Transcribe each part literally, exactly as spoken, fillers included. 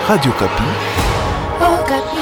Radio Okapi. Okapi.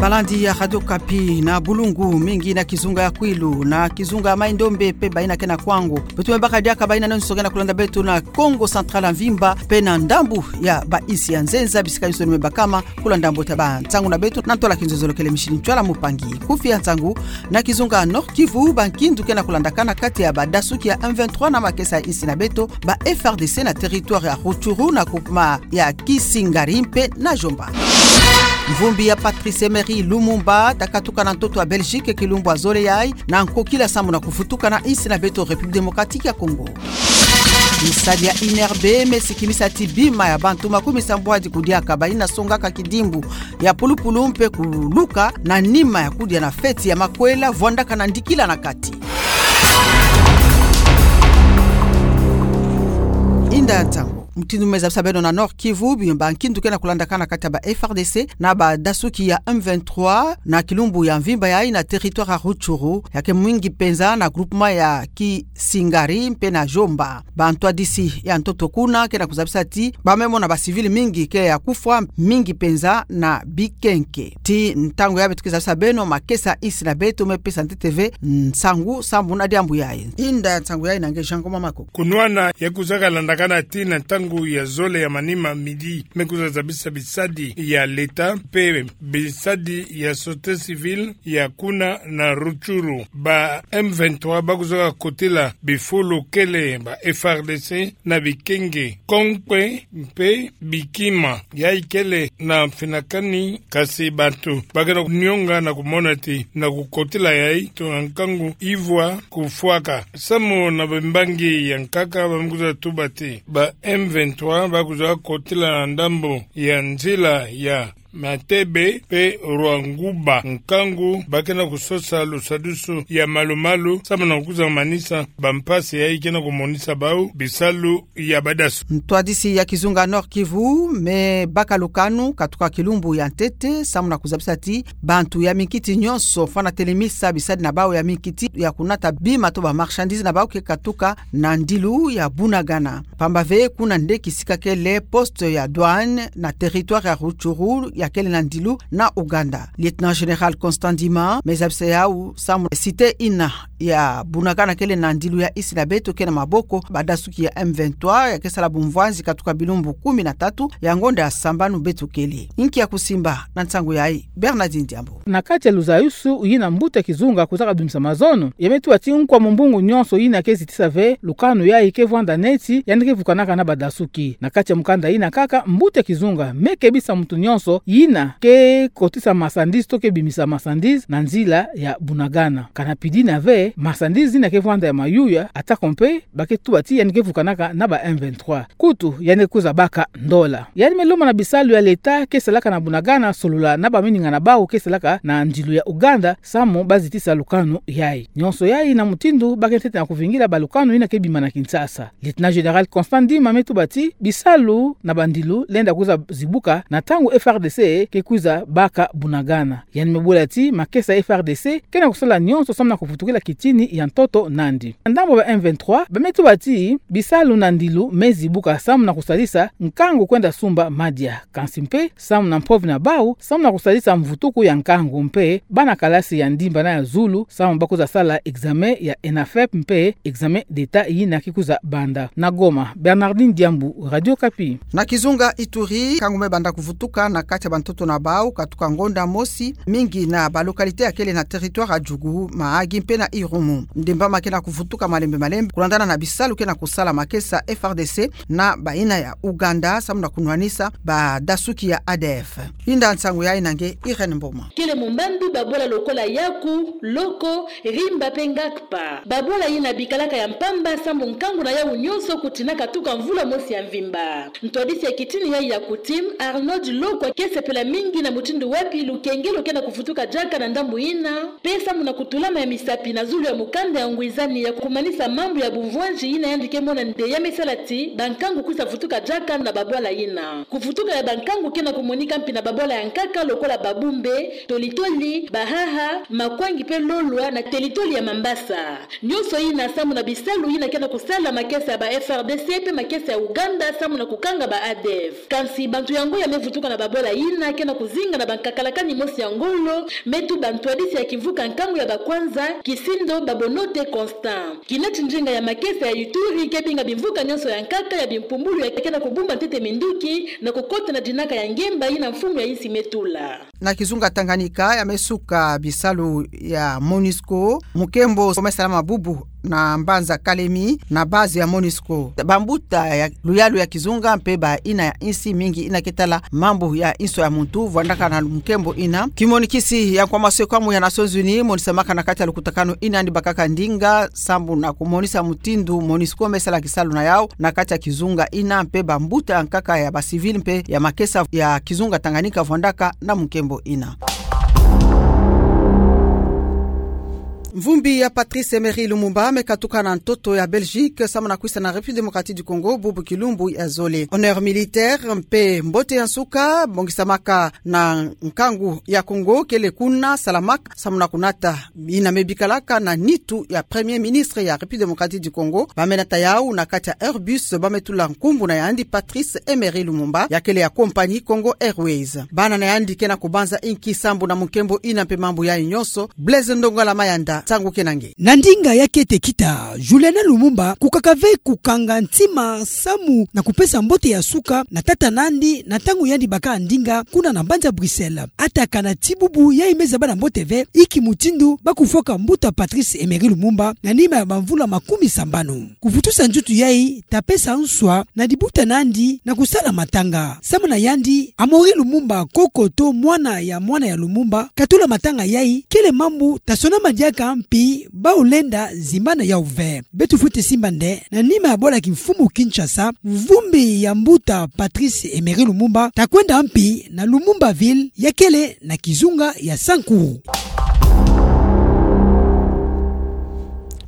Balandi ya Radio Okapi na Bulungu, mingi na kizunga ya Kwilu, na kizunga ya Mai-Ndombe pe baina ke na Kwango. Beto me baka diaka baina nonso ke na kulanda beto na Kongo Central ya mvimba, pe na ndambu ya bainsi ya nzenza, bisika nyonso ni me bakama kulanda mbote ya bansangu na beto, na ntwala kinzonzolo kele Micheline Ntsoila, mopangi kufi ya nsangu. Na kizunga Nord-Kivu, bankindu ke na kulandakana kati ya badasuki ya M vingt-trois na makesa ya insi na beto, ba F R D C na territoire ya Rutshuru na groupement ya Kisingari mpe na Djomba. Mvumbi ya Patrice Emery Lumumba takatuka na ntoto ya Belgique kilumbu ya zole yayi, na nkokila sambu na kuvutuka na insi na beto République Démocratique ya Congo. Misadi ya I N R B me sikimisa ti bima ya bantu makumi sambwadi kudiaka baina songaka kidimbu ya pulupulu mpe kuluka na nima ya kudia na feti ya makwela vwandaka na ndikila na kati. Inda nsangu mutindu me zabisa beno. Na Nord-Kivu, bima bankindu ke na kulandakana kati ya ba F R D C na badasuki ya M vingt-trois na kilumbu ya mvimba yayi na territoire ya Rutshuru, ya ke mingi penza na groupement ya Kisingari mpe na Djomba. Bantwadisi ya ntoto kuna ke na kuzabisa ti ba me mona ba civil mingi ke ya kufwa, mingi penza na bikenke. Ti ntangu yayi beto ke zabisa beno, makesa ya insi na beto me pesa ntete ve nsangu sambu na diambu yayi. Inda nsangu yayi na nge Jean Ngoma Mako. Kunwana ya kuzaka landakana ti na ntangu ya zole ya manima, midi, me kuza zabisa bisadi ya leta mpe bisadi ya société civile ya kuna na Rutshuru. Ba M vingt-trois ba kuzaka kotila bifulu kele ba F R D C na bikenge, konkwe mpe bikima. Yayi kele na mfinakani, kasi bantu ba ke na kunionga na kumona ti na kukotila yayi, tuna nkangu ivwa kufwaka. Samu na bambangi ya nkaka, ba me kuza tuba ti ba M vingt-trois ba kuza kotila na ndambu ya nzila ya Matebe mpe Rwanguba, nkangu ba ke na kusosa lusadusu ya malu-malu samu na kuza manisa bampasi yayi ke na kumonisa bau bisalu ya badasu. Ntwadisi ya kizunga Nord-Kivu me baka lukanu katuka kilumbu ya ntete samu na kuzabisa ti bantu ya minkiti nyonso fwana telemisa bisadi na bau ya minkiti ya kunata bima to ba marchandise na bau ke katuka na ndilu ya Bunagana. Pamba ve kuna nde kisika kele poste ya douane na territoire ya Rutshuru ya kele na ndilu na Ouganda. Lieutenant-général Constant Ndima me zabisa yau samu cité ina ya Bunagana kele na ndilu ya insi na beto ke na maboko badasuki ya M vingt-trois, ya ke sala bumvwanzi katuka bilumbu kumi na tatu ya ngonda ya sambanu beto kele. Inki ya kusimba na nsangu yayi? Bernardine Diambu. Na kati ya luzayusu yina mbuta kizunga kuzaka dumisa mazono, ya me tuba ti nkwa mumbungu nyonso yina ke zitisa ve lukanu yayi ke vwanda neti yandi ke vukanaka na badasuki. Na kati ya mukanda yina kaka, mbuta kizunga me kebisa muntu nyonso yina ke kotisa marchandise to ke bimisa marchandise na nzila ya Bunagana. Kana pidina ve marchandise yina ke vwanda ya mayuya, atako mpe ba ke tuba ti yandi ke vukanaka na ba M vingt-trois. Kutu yandi ke kuza baka ndola. Yandi me lomba na bisalu ya leta ke salaka na Bunagana solola na bamininga na bau ke salaka na ndilu ya Ouganda samu ba zitisa lukanu yayi. Nyonso yayi na mutindu ba ke ntete na kuvingila balukanu yina ke bima na Kinshasa. Lieutenant-général Constant Ndima me tuba ti bisalu na bandilu lenda kuza zibuka na ntangu F R D C ke kuza baka Bunagana. Yandi me bula ti makesa ya F R D C ke na kusala nyonso samu na kuvutukila kitini ya ntoto nandi. Na ndambu ba M vingt-trois, ba me tuba ti bisalu na ndilu me zibuka samu na kusalisa nkangu kwenda sumba madia, kansi mpe samu na mpovi na bau, samu na kusalisa mvutuku ya nkangu mpe bana kalasi ya ndimba na ya zulu samu ba kuza sala examen ya ENAFEP mpe examen d'État yina ke kuza banda. Na Goma, Bernardine Diambu, Radio Okapi. Na kizunga Ituri, nkangu me banda kuvutuka na kati ya bantoto na bau katuka ngonda mosi, mingi na ba localité ya kele na territoire ya Djugu, Mahagi mpe na Irumu. Ndemba ma ke na kuvutuka malembe malembe kulandana na bisalu ke na kusala makesa F R D C na bayina ya Ouganda samu na kunwanisa badasuki ya A D F. Inda nsangu yayi na nge Irène Mboma. Kele mumbandu babwala lokola Yaku, Loko, Rimba mpe Ngakpa. Babwala yina bikalaka ya mpamba samu nkangu na yau nyonso kutina katuka mvula mosi ya mvimba. Ntwadisi ya kitini yayi ya kutime, Arnold Lokwa, ke sepela mingi na mutindu wapi lukengelo ke na kuvutuka diaka na ndambu yina, mpe samu na kutulama ya misapi na zulu ya mukanda ya ngwizani ya kumanisa mambu ya bumvwanzi yina yandi ke mona nde ya me sala ti bankangu kwisa vutuka diaka na babwala yina. Kuvutuka ya bankangu ke na kumonika mpi na babwala ya nkaka lokola Babumbe, Tolitoli, Bahaha, Makwangi mpe Lolwa na telitoli ya Mambasa. Nyonso yina sambu na bisalu yina ke na kusala makesa ya ba F R D C mpe makesa ya Uganda sambu na kukanga ba A D F. Kansi bantu yango ya me vutuka na babwala yina ke na kuzinga na bankakalakani mosi ya ngolo, me tuba ntwadisi ya kimvuka nkangu ya bakwanza, Kisindo Babonote Constant. Kineti ndinga ya makesa ya Ituri ke binga bimvuka nyonso ya nkaka ya bimpumbulu ya ke na kubumba ntete minduki na kukota na dinaka ya ngemba yina mfumu ya insi me tula. Na kizunga Tanganyika ya me suka bisalu ya MONUSCO, mukembo me salama bubu na mbanza Kalemi na base ya MONUSCO. Bambuta ya luyalu ya kizunga mpe bayina ya insi mingi yina ke tala mambu ya inso ya muntu vwandaka na mukembo yina. Kimonikisi ya nkwamaswe kamu ya Nations Unies monisamaka na kati ya lukutakanu yina yandi bakaka ndinga sambu na kumonisa mutindu MONUSCO me sala kisalu na yau na kati ya kizunga yina mpe bambuta ya nkaka ya ba civil mpe ya makesa ya kizunga Tanganyika vwandaka na mukembo yina. Mvumbi ya Patrice Emery Lumumba me katuka na ntoto ya Belgique sambu na kwisa na République Démocratique du Congo bubu kilumbu ya zole. Honneur militaire mpe mbote ya nsuka bongisamaka na nkangu ya Congo kele kuna salamaka sambu na kunata yina me bikalaka na nitu ya Premier Ministre ya République Démocratique du Congo. Ba me nata yau na kati ya Airbus ba me tula nkumbu na yandi Patrice Emery Lumumba, ya kele ya compagnie Congo Airways. Bana na yandi ke na kubanza inki sambu na mukembo yina mpe mambu yayi nyonso? Blaise Ndongala Mayanda, nsangu ke na nge. Na ndinga ya kete kita, Juliana Lumumba kukaka ve kukanga ntima samu na kupesa mbote ya nsuka na tata na yandi na ntangu yandi baka ndinga kuna na mbanza Bruxelles. Atakana ti bubu yayi me zaba na mbote ve inki mutindu ba kufwaka mbuta Patrice Emery Lumumba na nima ya bamvula makumi sambanu. Kuvutusa nzutu yayi ta pesa nswa na dibuta na yandi na kusala matanga. Samu na yandi, Amaury Lumumba, koko to mwana ya mwana ya Lumumba, katula matanga yayi kele mambu ta sonama diaka mpi bau lenda zimbana yau ve. Beto fwete simba nde, na nima ya bwala kimfumu Kinshasa, mvumbi ya mbuta Patrice Emery Lumumba ta kwenda mpi na Lumumbaville ya kele na kizunga ya Sankuru.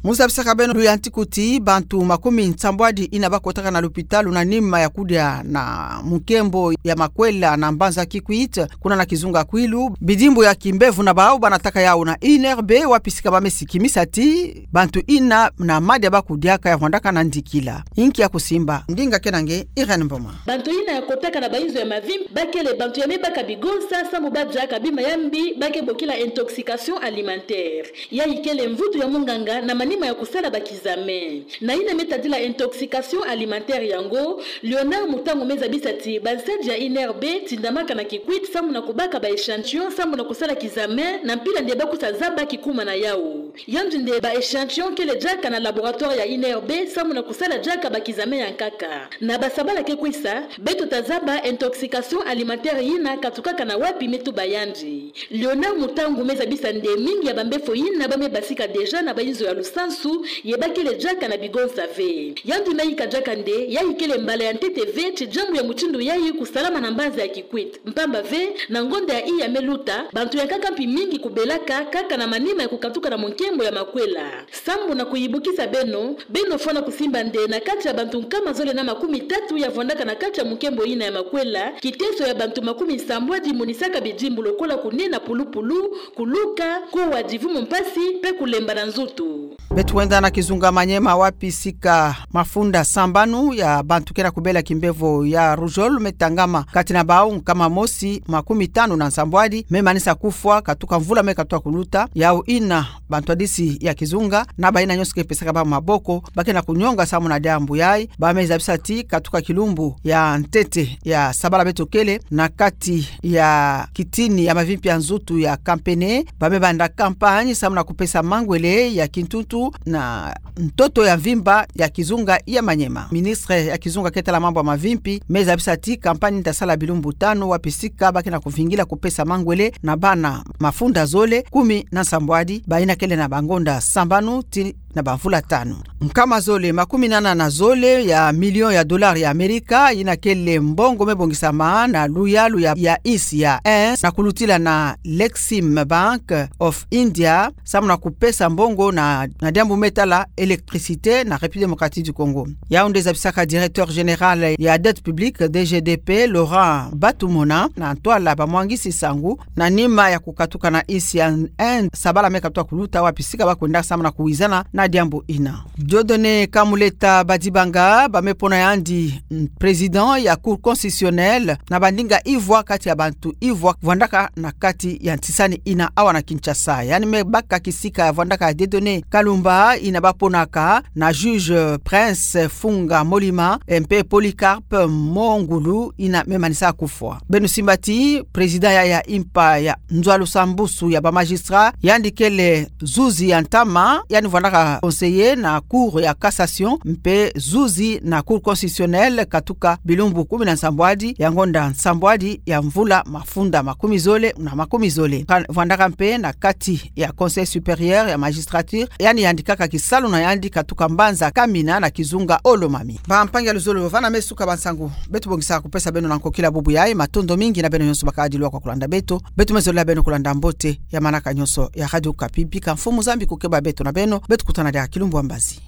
Mu zabisaka beno luyantiku ti bantu makumi nsambwadi yina ba kotaka na lupitalu na nima ya kudia na mukembo ya makwela na mbanza Kikwit, kuna na kizunga Kwilu, bidimbu ya kimbevo na bau ba nataka yau na I N R B, wapi sika ba me sikimisa ti bantu yina na madia ba kudiaka ya vwandaka na ndikila. Inki ya kusimba? Ndinga ke na nge, Irène Mboma. Bantu yina ya kotaka na bainzo ya mavimpi ba kele bantu ya me baka bigonsa samu ba diaka bima ya mbi ba ke bokila intoxication alimentaire. Yayi kele mvutu ya munganga na manima ya kusala ba kizame. Na yina me tadila intoxication alimentaire yango, Léonard Mutangu me zabisa ti bansadi ya I N R B tindamaka na Kikwit samu na kubaka ba échantillon samu na kusala kizame na mpila nde ba kwisa zaba kikuma na yau. Yandi nde ba échantillon kele diaka na laboratoire ya I N R B samu na kusala diaka ba kizame ya nkaka. Na basabala ke kwisa, beto ta zaba intoxication alimentaire yina katukaka na wapi, me tuba yandi. Léonard Mutangu me zabisa nde mingi ya bambefo yina ba me basika déjà na bainzo ya lusansu, ye ba kele diaka na bigonsa ve. Yandi me yika diaka nde yayi kele mbala ya ntete ve ti diambu ya mutindu yayi kusalama na mbanza ya Kikwit. Mpamba ve, na ngonda ya iya me luta, bantu ya nkaka mpi mingi kubelaka kaka na manima ya kukatuka na mukembo ya makwela. Sambu na kuyibukisa beno, beno fwana kusimba nde na kati ya bantu nkama zole na makumi tatu ya vwandaka na kati ya mukembo yina ya makwela, kiteso ya bantu makumi nsambwadi monisaka bidimbu lokola kunena pulupulu, kuluka, kuwa divumu mpasi, mpe kulemba na nzutu. Beto wenda na kizunga Maniema, wapi sika mafunda sambanu ya bantu ke na kubela kimbevo ya rougeole me tangama, kati na bau nkama mosi makumi tanu na nsambwadi me manisa kufwa katuka mvula me katuka kuluta. Yau yina bantwadisi ya kizunga na bayina nyonso ke pesaka bau maboko ba ke na kunyonga samu na diambu yayi, ba me zabisa ti katuka kilumbu ya ntete ya sabala beto kele, na kati ya kitini ya mavimpi ya nzutu ya Kampene, ba me banda campagne samu na kupesa mangwele ya kintuntu na ntoto ya mvimba ya kizunga ya Maniema. Ministre ya kizunga ke tala mambu ya mavimpi me zabisa ti campagne ta sala bilumbu tanu, wapi sika ba ke na kuvingila kupesa mangwele na bana mafunda zole kumi na nsambwadi, bayina kele na bangonda sambanu tii na bamvula tanu. Nkama zole makumi nana na zole ya million ya dollars ya Amerika, ina kele mbongo me bongisama na luyalu ya, ya insi ya Inde, na kulutila na Exim Bank of India, samu na kupesa mbongo na, na diambu me tala électricité na République Démocratique du Congo. Yau nde zabisaka directeur général ya dette publique, D G D P, Laurent Batumona, na ntwala bamwangisi nsangu, na nima ya kukatuka na insi ya Inde, sabala me katuka kuluta wapi sika bakwenda samu na kuwizana na diambu ina. Dieudonné Kamuleta Badibanga, ba me pona yandi, mm, président ya Cour constitutionnelle, na bandinga ivwa kati ya bantu ivwa vwandaka na kati ya ntisani ina awa na Kinshasa. Yandi me baka kisika ya vwandaka ya Dieudonné Kalumba, ina baponaka na juge Prince Funga Molima, mpe Polycarpe Mongulu, ina me manisa kufwa. Beno simba ti président ya, ya impa ya nzwa lusambusu ya ba magistrat, yandi kele zuzi ya ntama, yandi vwandaka conseiller na Cour ya cassation, mpe zuzi na Cour constitutionnelle katuka bilumbu kumi na nsambwadi ya ngonda nsambwadi ya mvula mafunda makumi zole na makumi zole. Ka-, vwandaka mpe na kati ya Conseil supérieur ya magistrature, yandi yandikaka kisalu na yandi katuka mbanza Kamina na kizunga Olomami. Bampangi ya luzolo, vana me suka bansangu beto bongisa kupesa beno na nkokila bubu yayi. Matondo mingi na beno nyonso bakadi lwa kwa kulanda beto. Beto me zolela beno kulanda mbote ya manaka nyonso ya Radio Okapi. Bika Mfumu Nzambi kukeba beto na beno. Beto kutana diaka kilumbu ya mbazi.